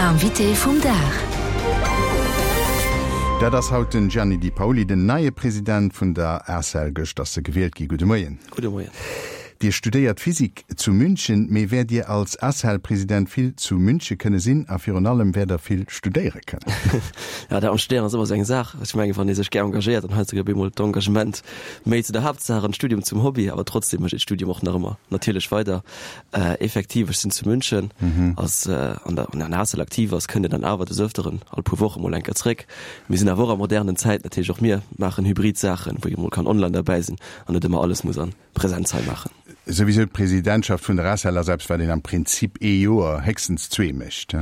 Invité vum Dag. Dat ass haut den Gianni Di Paoli, den neie President vun der ACEL. Gëscht ass e gewielt gi. Gudde Moien. Gudde Moien. Dir studéiert Physik zu München, mee wäert Dir als ACEL-President vill zu Münche kënne sinn a virun allem wäert Der vill studéiere kënnen? Jo, dat mam Studéieren ass ëmmer esou eng Saach. Ech mengen, wann ee sech gär engagéiert, dann heiansdo gëtt op eemol d'Engagement méi zu der Haaptsaach an d'Studium zum Hobby. Awer trotzdem mécht ee d'Studium och nach ëmmer natierlech weider. Effektiv, ech sinn zu München, ass an der an der ACEL aktiv ass, kënnt een dann awer des Ëfteren all puer Woche mol eng Kéier zréck. Mir sinn awer och a modernen Zäiten natierlech, och mir maachen hybrid Saachen, wou ee mol kann online derbäi sinn an net ëmmer alles muss an Präsenz hei maachen. Souwisou d'Presidentschaft vun der ACEL ass eppes, wat een am Prinzip ee Joer, héchstens zwee mécht.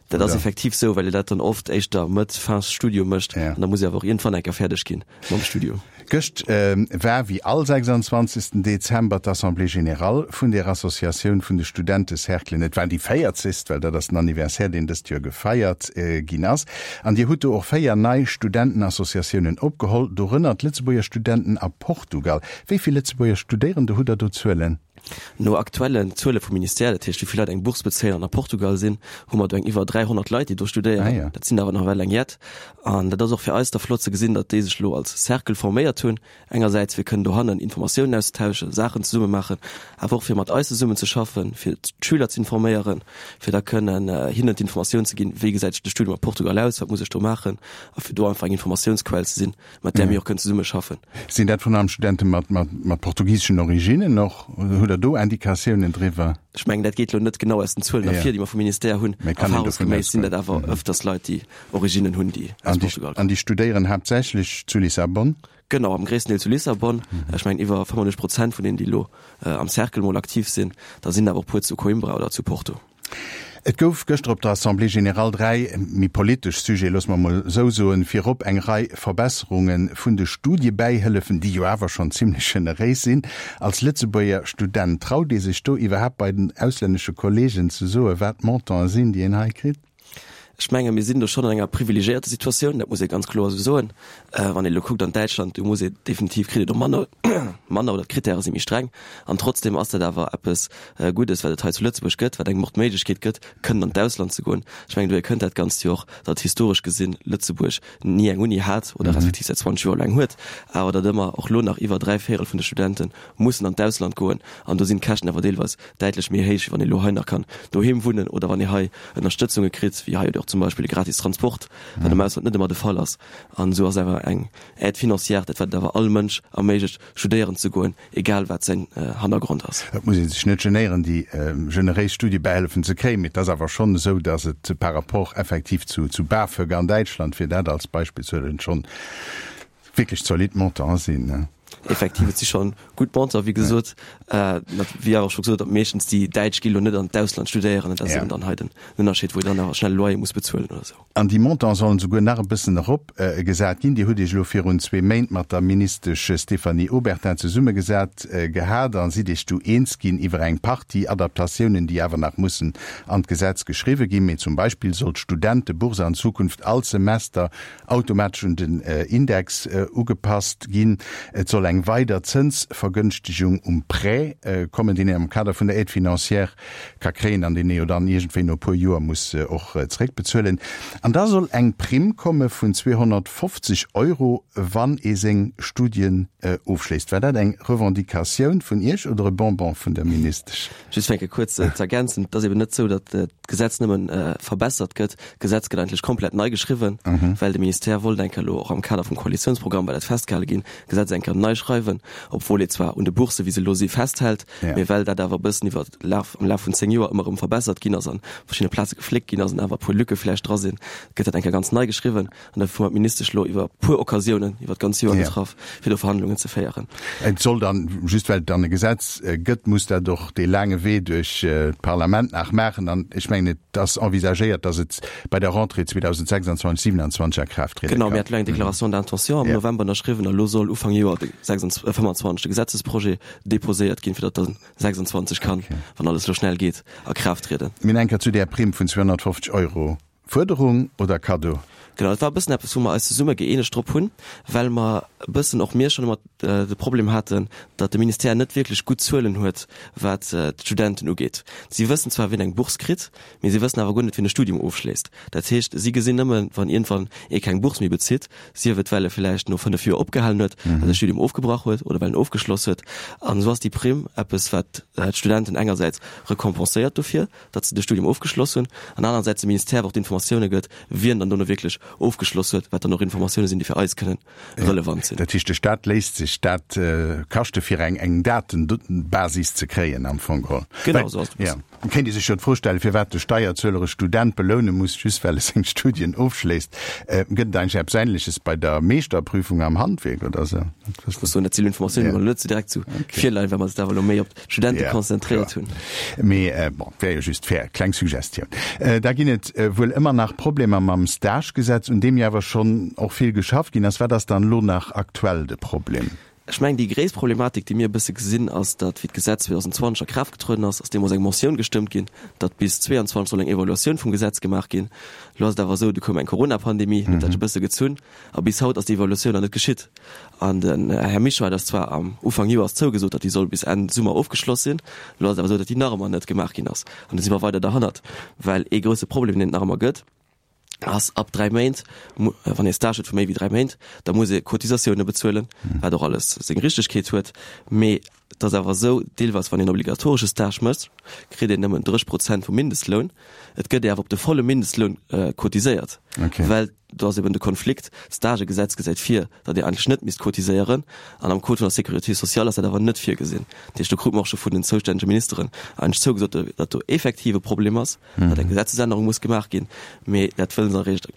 Dat ass effektiv sou, well ee dat dann oft éischter Mëtt, fin Studium mécht an da muss ee awer och iergendwann eng Kéier fäerdeg ginn mam Studium. Gëscht war, wéi all 26. Dezember, d'Assemblée générale vun der Associatioun vun de Studentecerclen. Et war déi véierzegst, well dat ass den Anniversaire, deen dëst Joer gefeiert ginn ass. An Dir hutt do och 4 nei Studentenassociatiounen opgeholl, dorënner d'Lëtzebuerger Studenten a Portugal. Wéi vill Lëtzebuerger Studéierende hutt Der do Zuelen? No aktuellen Zuele vum Ministère, dat heescht wéi vill Leit eng Bourse bezéien an a Portugal sinn, hu mer do eng iwwer 300 Leit, déi do studéieren. Ah ja. Dat sinn awer nach ewell eng jett. An dat ass och fir eis da flott ze gesinn, datt déi sech elo als Cercle forméiert hunn, engersäits fir kënnen dohannen Informatiounen auszetauschen, Saachen zesumme maachen, awer och fir mat eis zesummen ze schaffen, fir d'Schüler ze informéieren, fir da kënnen hinnen d'Informatioun ze ginn, wéi gesäit de Studium a Portugal aus, wat muss ech do maachen, a fir do einfach eng Informatiounsquell ze sinn. mat där mir och kënnen zesummeschaffen. Sinn dat virun allem Studente mat, mat, mat portugiseschen Originnen och? Hutt Der do Indikatiounen driwwer? Ech mengen, dat geet elo net genau aus den Zuelen ervir, déi mer vum Ministère hunn. Mä kann een dovun Erfahrungsgeméiss sinn dat awer ëfters Leit, déi Originnen hunn, déi aus Portugal kommen. An déi studéieren haaptsächlech zu Lissabon? Genau, am gréissten Deel zu Lissabon. Ech mengen, iwwer 95 Prozent vun deenen, déi elo am Cercle mol aktiv sinn. Da sinn awer och puer zu Coimbra oder zu Porto. Et gouf gëschter op der Assemblée générale 3 méi politesch Sujete, loosse mer emol esou soen. Virop eng Rei Verbesserunge vun de Studiebäihëllefen, déi jo awer schonn zimlech generéis sinn. Als Lëtzebuerger Student, traut ee sech do iwwerhaapt bei den auslännesche Kollegen ze soen, wat d'Montanten sinn, déi een hei kritt? Ech menge mir sinn do schonn an enger privilegiéierter Situatioun, dat muss ee ganz kloer esou soen. Wann ee elo kuckt an Däitschland, do muss ee definitiv, kritt ee do manner, manner oder d'Krittäre si méi streng. An trotzdeem ass dat awer eppes Guddes, wat et hei zu Lëtzebuerg gëtt, wat engem och d'Méiglechkeet gëtt, kënnen an d'Ausland ze goen. Ech mengen, dohier kënnt dat Ganzt jo och, datt historesch gesinn Lëtzebuerg ni eng Uni hat oder respektiv säit 20 Joer elo eng huet, awer datt ëmmer och elo nach iwwer dräivéierel vun de Studente mussen an d'Ausland goen. An do sinn d'Käschten awer deelweis däitlech méi héich, wéi wann ee lo hei nach kann doheem wunnen oder wann ee hei Ënnerstëtzunge kritt, wéi hei och zum Beispill de gratis Transport, wat am Ausland net ëmmer de Fall ass. An esou ass awer eng Aide financière dat, wat et awer all Mënsch erméiglecht, studéieren ze goen, egal wat säin Hannergrond ass. Et muss ee sech net genéieren, déi generéis Studiebäihëllefen ze kréien, mee et ass awer schonn esou, datt et par rapport effektiv zu BAföG an Däitschland, fir dat als Beispill ze huelen, schonn wierklech zolidd Montanten sinn. Effektiv, et si scho gutt Montanten, wéi gesot. Wéi awer och scho gesot, datt meeschtens déi Däitsch gi lo net an d'Ausland studéieren. Dat ass eben dann hei den Ënnerscheed, wou ee dann awer schnell e Loyer muss bezuelen oder esou. An déi Montanten sollen souguer nach e bëssen eropgesat ginn. Dir hutt Iech elo virun zwee Méint mat der Ministesch Stéphanie Obertin zesummegesat gehat a sidd Iech du eens ginn iwwer eng Partie Adaptatiounen, déi awer nach mussen an d'Gesetz geschriwwe ginn. Mee zum Beispill soll d'Studentebourse an Zukunft all Semester automatesch un den Index ugepasst ginn. Et soll eng weider Zënsvergënschtegung um Prêt kommen, deen een am Kader vun der Aide financière ka kréien an deen ee jo dann iergendwéi no e puer Joer muss och zeréckbezuelen. An da soll eng Primm komme vun 250 Euro, wann ee seng Studien ofschléisst. War dat eng Revendicatioun vun Iech oder e Bonbon vun der Ministesch? Just fir eng Kéier kuerz ze ergänzen, Et ass eben net esou, datt d'Gesetz nëmmen verbessert gëtt. D'Gesetz gëtt eigentlech komplett nei geschriwwen, well de Ministère wollt eng Kéier elo och am Kader vum Koalitiounsprogramm, war dat festgehale ginn, d'Gesetz eng Kéier nei schreiwen, obwuel ee zwar un de Boursen, wéi se elo si, festhält, mee well dat awer e bëssen iwwer Laf, am Laf vun 10 Joer ëmmer erëm verbessert ginn ass an verschiddene Plaze gefléckt ginn ass an awer e puer Lücke vläicht dra sinn, gëtt dat eng Kéier ganz nei geschriwwen. An dofir hu mer d'Ministesch elo iwwer e puer Occasiounen iwwer d'ganz Joer getraff, fir do Verhandlungen ze féieren. Et soll dann, just well et dann e Gesetz gëtt, muss dat och dee laange Wee duerch d'Parlament nach maachen. An ech mengen, et ass envisagéiert, datt et bei der Rentrée 2026, 2027 a Kraaft triede kann. Genau, mir haten elo eng Déclaration d'intention am November ënnerschriwwen a elo soll Ufank Joer 25 de Gesetzesprojet déposéiert ginn, fir datt dann 26 kann, wann alles elo schnell geet, a Kraaft trieden. Mir eng Kéier zu där Primm vun 250 Euro. Fuerderung oder Kaddo? Genau, dat war e bëssen eppes, wou mer eis zesumme gëeenegt drop hunn, well mer e bëssen och mir schonn ëmmer de Problem haten, datt de Ministère net wierklech gutt Zuelen huet, wat d'Studenten ugeet. Si wëssen zwar, wien eng Bourse kritt, mee si wëssen awer guer net, wien e Studium ofschléisst. Dat heescht, si gesinn nëmmen, wann iergendwann ee keng Bourse méi bezitt, sief et well e villäicht no 5 Joer opgehalen huet, well säi Studium ofgebrach huet oder well en ofgeschloss huet. An esou ass déi Primm eppes, wat d'Studenten engersäits recompenséiert dofir, datt se de Studium ofgeschloss hunn, an anerersäits dem Ministère awer och d'Informatioune gëtt, wien dann dono wierklech ofgeschloss huet, wat dann och Informatioune sinn, déi fir eis kënnen relevant sinn. Dat heescht, de Staat léisst sech dat kaschte fir eng eng Datenbasis ze kréien am Fong geholl. Genau esou ass et e bëssen. Et kéint ee sech jo d'Fro stellen, firwat de Steierzueler e Student beloune muss, just well e seng Studien ofschléisst. Gëtt et eigentlech eppes Änleches bei der Meeschterprüfung am Handwierk oder esou? Ech muss soen, dat sinn Informatiounen, déi mer elo net esou direkt zu virleien, well mer eis awer elo méi op d'Studente konzentréiert hunn. Mee bon, wär jo just fair, kleng Suggestioun. Da ginn et wuel ëmmer nach Problemer mam Stagegesetz, un deem jo awer schonn och vill geschafft ginn ass. Wat ass dann elo nach aktuell de Problem? Ech mengen, déi gréisst Problematik, déi mir e bësse gesinn, ass, datt, wéi d'Gesetz 2020 a Kraaft getrueden ass, ass deemools eng Motioun gestëmmt ginn, datt bis 22 soll eng Evaluatioun vum Gesetz gemaach ginn. Elo ass et awer esou, du koum eng Corona-Pandemie, huet dat e bësse gezunn a bis haut ass déi Evaluatioun nach net geschitt. An den Här Mischo hat eis zwar am Ufank Joers zougesot, datt déi soll bis Enn Summer ofgeschloss sinn. Elo ass et awer esou, datt déi nach ëmmer net gemaach ginn ass. An do si mer weider derhannert, well ee grousse Problem, deen et nach ëmmer gëtt, ass ab 3 Méint, wann ee Stage huet vu méi wéi 3 Méint, da muss ee Cotisatioune bezuelen, wat och alles seng Richtegkeet huet. Mee et ass awer esou, deelweis wann een obligatoresche Stage mécht, kritt een nëmmen 30 Prozent vum Mindestloun. Et gëtt ee awer op de volle Mindestloun cotiséiert, well do ass eben de Konflikt, d'Stagegesetz gesäit vir, datt ee eigentlech net misst cotiséieren an am Code vun der Sécurité sociale ass dat awer net virgesinn. Dat heescht, do krute mer och scho vun den zoustännege Ministeren eigentlech zougesot, datt do effektiv e Problem ass. datt eng Gesetzesännerung muss gemaach ginn, mee dat wëlle se eréischt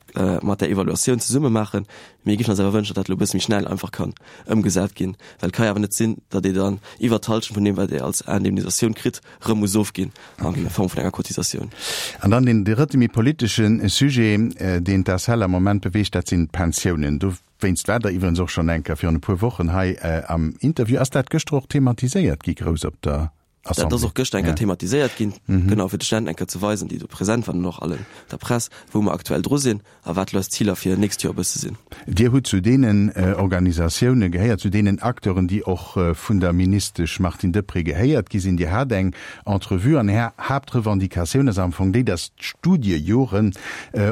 mat där Evaluatioun zesumme maachen. Mir géifen eis awer wënschen, datt dat elo e bësse méi schnell einfach kann ëmgesat ginn, well et ka jo awer net sinn, datt ee dann iwwert d'Hallschent vun deem, wat ee als Indemnisatioun kritt, erëm muss ofginn a Form vun enger Cotisatioun. An dann deen drëtte méi politesche Sujet, deen d'ACEL am Moment beweegt, dat sinn d'Pensiounen. Dowéinst war Der iwwerens och schonn eng Kéier virun e puer Wochen hei am Interview. Ass dat gëschter och thematiséiert gi grouss op der Dat ass och gëschter eng Kéier thematiséiert ginn, genau, fir de Studenten eng Kéier ze weisen, déi do present waren an och allen der Press, wou mer aktuell dru sinn a wat elo eis Ziler fir nächst Joer e bësse sinn. Dir hutt zu deenen Organisatioune gehéiert, zu deenen Acteuren, déi och vun der Ministesch Martine Deprez gehéiert gi sinn. Dir hat eng Entrevue an Är Haaptrevendicatioun ass am Fong déi, datt d'Studiejoren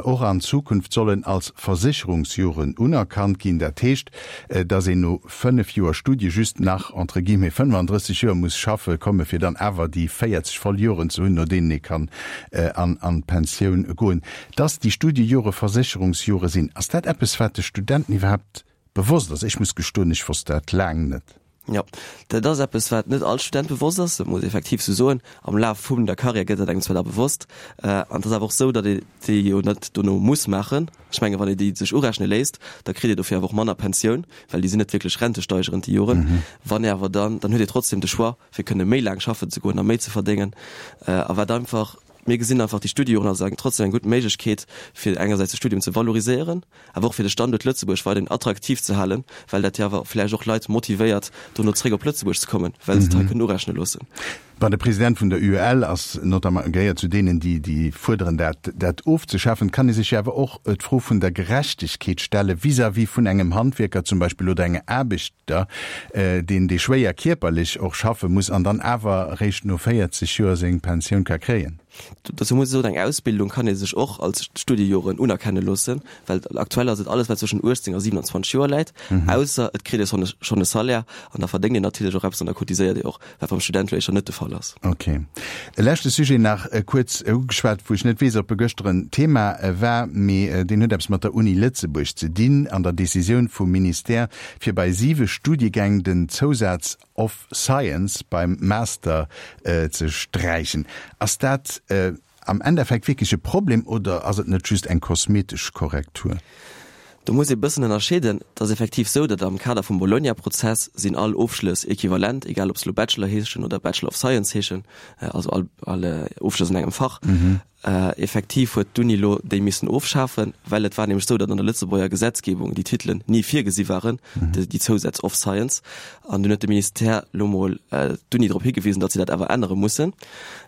och an Zukunft sollen als Versécherungsjoren unerkannt ginn. Dat heescht, datt een no 5 Joer Studie just nach entre guillemets 35 Joer muss schaffe komme fir dann awer déi 40 voll Joren ze hunn, no deenen ee kann an d'Pensioun goen. Dass déi Studiejore Versécherungsjore sinn, ass dat eppes wat de Studenten iwwerhaapt bewosst ass? Ech muss gestoen, ech wosst dat laang net. Jo, dat ass eppes wat net all Student bewosst ass, dat muss ee effektiv sou soen. Am Laf vum der Karriär gëtt dat engem zwar da bewosst. An et ass awer och sou, datt ee déi jo net dono muss maachen. Ech menge wann ee déi sech urechne léisst, da kritt ee dofir awer och manner Pensioun, well déi sinn net wierklech rentesteigerend déi Joren. Wann ee awer dann, dann huet ee trotzdem de Choix fir kënne méi laang schaffen ze goen a méi ze verdéngen. A wat einfach, mir gesinn einfach déi Studiejoren als eng trotzdem eng gutt Méiglechkeet fir engersäits de Studium ze valoriséieren, awer och fir de Standuert Lëtzebuerg weiderhin attraktiv ze halen, well dat jo awer vläicht och Leit motivéiert dono zréck op Lëtzebuerg ze kommen, well se et hei kënnen urechne loossen. Bon, de President vun der UEL ass notamment, gehéiert zu deenen, déi, déi fuerderen, dat, dat ofzeschafen. Et kann ee sech jo awer och d'Fro vun der Gerechtegkeet stelle vis-à-vis vun engem Handwierker zum Beispill oder engem Aarbechter, deen, dee schwéier kierperlech och schaffe muss an dann awer eréischt no 40 Joer seng Pensioun ka kréien. Dozou muss ech soen, eng Ausbildung kann ee sech och als Studiejoren unerkenne loossen, well aktuell ass et alles, wat zwëschen 18 a 27 Joer läit, ausser et kritt ee schonn e Salaire an da verdéngt een natierlech och eppes an da cotiséiert ee och, wat beim Student lo éischter net de Fall ass. Ok. E leschte Sujet nach kuerz ugeschwat, wou ech net weess, ob e gëschter en Thema war, mee deen huet eppes mat der Uni Lëtzebuerg ze dinn an der Decisioun vum Ministère, fir bei siwe Studiegäng den Zousaz of Science beim Master ze sträichen. Ass dat am Endeffekt wierklech e Problem oder ass et net just eng kosmetesch Korrektur? Do muss ee bëssen ënnerscheeden. Et ass effektiv sou, datt am Kader vum Bologna-Prozess sinn all Ofschlëss equivalent, egal ob se elo Bachelor heeschen oder Bachelor of Science heeschen, also all all Ofschlëss an engem Fach. Effektiv huet d'Uni elo déi missen ofschafen, well et war nämlech sou, datt an der Lëtzebuerger Gesetzgebung déi Titelen ni virgesi waren, déi Zousätz of Science. An dunn huet de Ministère elo mol d'Uni drop higewisen, datt si dat awer ännere mussen.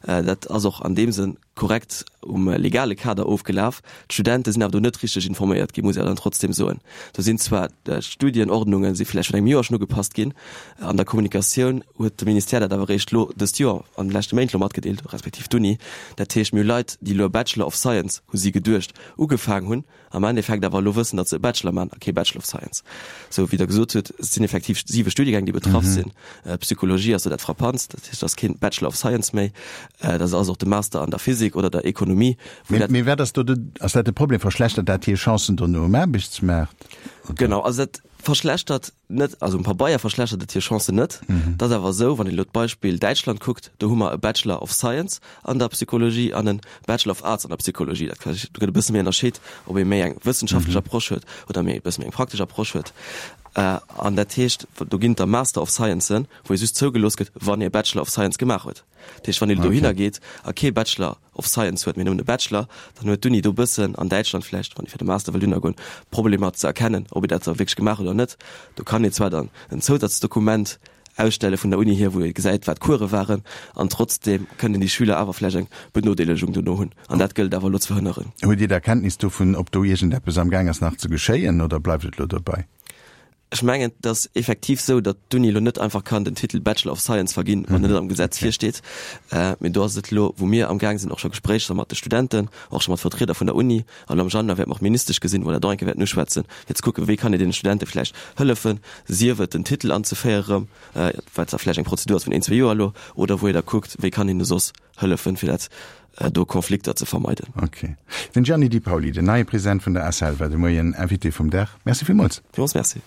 Dat ass och an deem Sënn. korrekt um legale Kader ofgelaf. D'Studente sinn awer do net richteg informéiert ginn, muss ee awer dann trotzdem soen. Do sinn zwar d'Studienordnunge si vläicht virun engem Joer schonn ugepasst ginn, an der Kommunikatioun huet de Ministère dat awer eréischt elo dëst Joer, an de leschte Méint elo matgedeelt, respektiv d'Uni. Dat heescht, mir hu Leit, déi elo e Bachelor of Science, hu si geduecht, ugefaang hunn, am Endeffekt awer elo wëssen, datt se e Bachelor maachen a kee Bachelor of Science. Sou wéi Der gesot hutt, et sinn effektiv siwe Studiegäng, déi betraff sinn. Psychologie ass do dat Frappantst, dat heescht, et ass kee Bachelor of Science méi, dat ass och de Master an der Physik oder der Ekonomie, wou dat. Mee wat ass do de, ass dat de Problem? Verschlechtert dat hir Chancen dono um Aarbechtsmaart? Genau, also dat verschlechtert net, also um Pabeier verschlechtert et hir Chancen net. Et ass awer esou, wann een elo d'Beispill Däitschland kuckt, do hu mer e Bachelor of Science an der Psychologie an e Bachelor of Arts an der Psychologie. Dat kann, do gëtt e bësse méi ënnerscheet, ob ee méi eng wëssenschaftlech Approche huet oder méi e bësse méi eng praktesch Approche huet. An dat heescht, do ginn et da Master of Sciencen, wou ee just zougelooss gëtt, wann ee Bachelor of Science gemaach huet. Dat heescht, wann een dohinner geet a kee Bachelor of Science huet, mee nëmmen e Bachelor, dann huet d'Uni do e bëssen, an Däitschland vläicht, wann ee fir de Master wëll dohinner goen, Problemer ze erkennen, ob ee dat da wierklech gemaach huet oder net. Do kann een zwar dann en Zousazdokument ausstelle vun der Uni hier, wou ee gesäit, wat d'Course waren, an trotzdeem kënnen déi Schüler awer vläicht eng Benodeelegung dono hunn. An dat gëllt awer elo ze verhënneren. Hutt Dir da Kenntnis dovun, ob do iergendeppes amgaang ass nach ze geschéien, oder bleift et elo dobäi? Ech mengen, et ass effektiv esou, datt d'Uni elo net einfach kann den Titel Bachelor of Science verginn, wann en net am Gesetz virsteet. Mee do ass et elo, wou mir amgaang sinn, och scho Gespréicher mat de Studenten, och scho mat Vertrieder vun der Uni, an elo am Januar wäerte mer och d'Ministesch gesinn, wou mer dat och eng Kéier wäerten uschwätzen, fir ze kucken, wéi kann een deene Studente vläicht hëllefen, sief et den Titel anzeféiere erëm, wat da vläicht eng Prozedur ass vun een, zwee Joer elo, oder wou ee da kuckt, wéi kann een soss hëllefen, fir dat do Konflikter ze vermeiden. Ok. Den Gianni Di Paoli, den neie President vun der ACEL, war de Moien Invité vum Dag. Merci villmools. Villmools Merci.